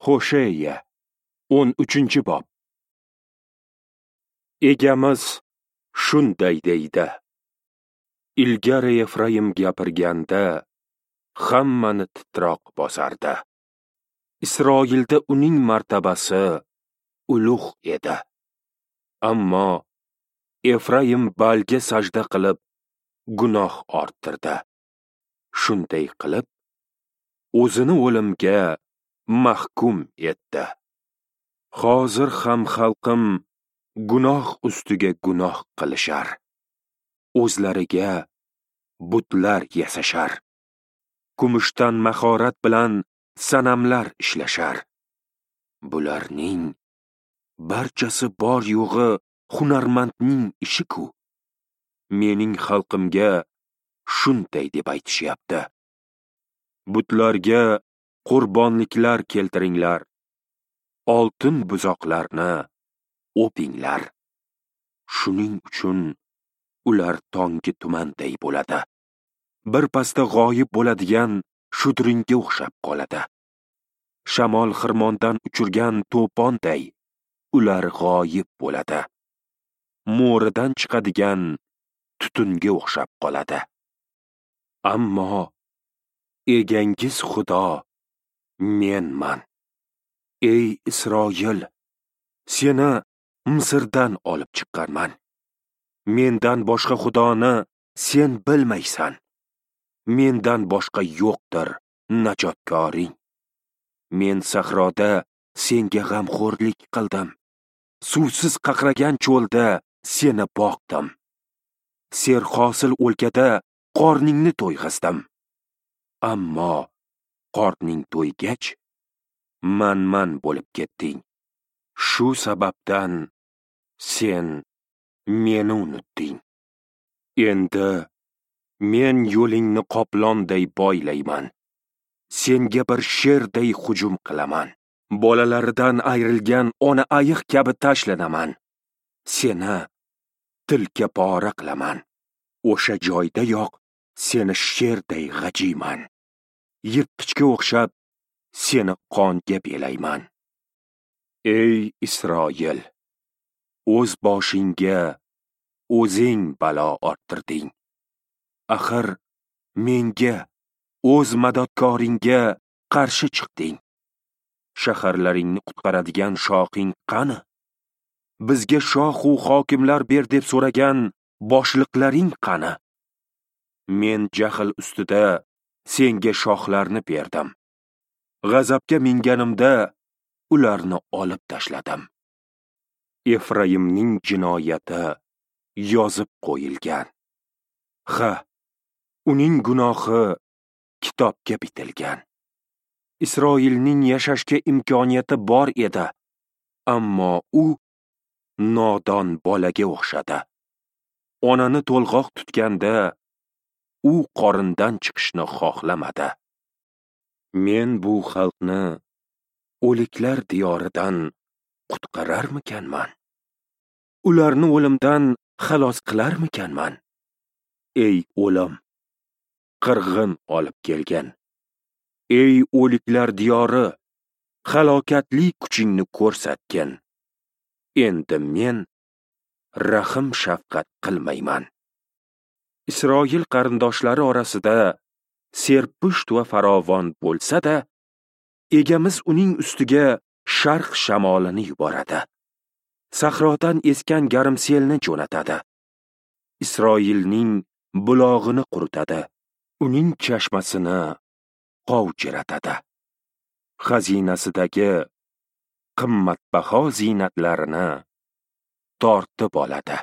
Hosheya 13-bob. Egamiz shunday deydi: Ilgari Efraim gapirganda hammani titroq bosardi. Isroilda uning martabasi ulug' edi. Ammo Efraim Balga sajda qilib gunoh orttirdi. Shunday qilib o'zini o'limga mahkum etdi. Hozir ham xalqim gunoh ustiga gunoh qilishar. O'zlariga butlar yasashar. Kumushdan mahorat bilan sanamlar ishlashar. Bularning barchasi bor yo'g'i hunarmandning ishi-ku. Mening xalqimga shunday deb aytishyapti: Butlarga qurbonliklar keltiringlar, oltin buzoqlarni o'pinglar. Shuning uchun ular tonggi tumanday bo'ladi. Bir pasda g'oyib bo'ladigan shudringga o'xshab qoladi. Shamol xirmondan uchirgan to'ponday ular g'oyib bo'ladi. Mo'ridan chiqadigan tutunga o'xshab qoladi. Ammo egangiz Xudo menman. Ey Isroil, seni Misrdan olib chiqqanman. Mendan boshqa Xudoni sen bilmaysan. Mendan boshqa yo'qdir najotkoring. Men sahroda senga g'amxo'rlik qildim. Suvsiz qaqragan cho'lda seni boqdim. Serhosil o'lkada qorningni to'yg'izdim. Ammo qorning to'ygach, manman bo'lib ketding. Shu sababdan sen meni unutding. Endi men yo'lingni qoplonday boylayman. Senga bir sherday hujum qilaman. Bolalaridan ayrilgan ona ayiq kabi tashlanaman. Seni tilka pora qilaman. O'sha joydayoq seni sherday g'ajiyman. Yirtqichga o'xshab seni qonga belayman. Ey Isroil, o'z boshingga o'zing balo orttirding. Axir menga, o'z madadkoringga qarshi chiqding. Shaharlaringni qutqaradigan shoxing qani? Bizga shoh u hokimlar ber deb so'ragan boshliqlaring qani? Men jahl ustida senga shoxlarni berdim. G'azabga minganimda ularni olib tashladim. Efraimning jinoyati yozib qo'yilgan. Ha, uning gunohi kitobga bitilgan. Isroilning yashashga imkoniyati bor edi, ammo u nodon bolaga o'xshadi. Onani to'lg'oq tutganda u qorindan chiqishni xohlamadi. Men bu xalqni o'liklar diyoridan qutqararmikanman? Ularni o'limdan xalos qilarmikanman? Ey o'lim, qirg'in olib kelgan. Ey o'liklar diyori, halokatli kuchingni ko'rsatgin. Endi men rahim shafqat qilmayman. Isroil qarindoshlari orasida serpusht va farovon bo'lsa-da, egamiz uning ustiga sharq shamolini yuboradi. Sahrodan esgan garmselni jo'natadi. Isroilning bulog'ini quritadi. Uning chashmasini qovjiratadi. Xazinasidagi qimmatbaho ziynatlarini tortib oladi.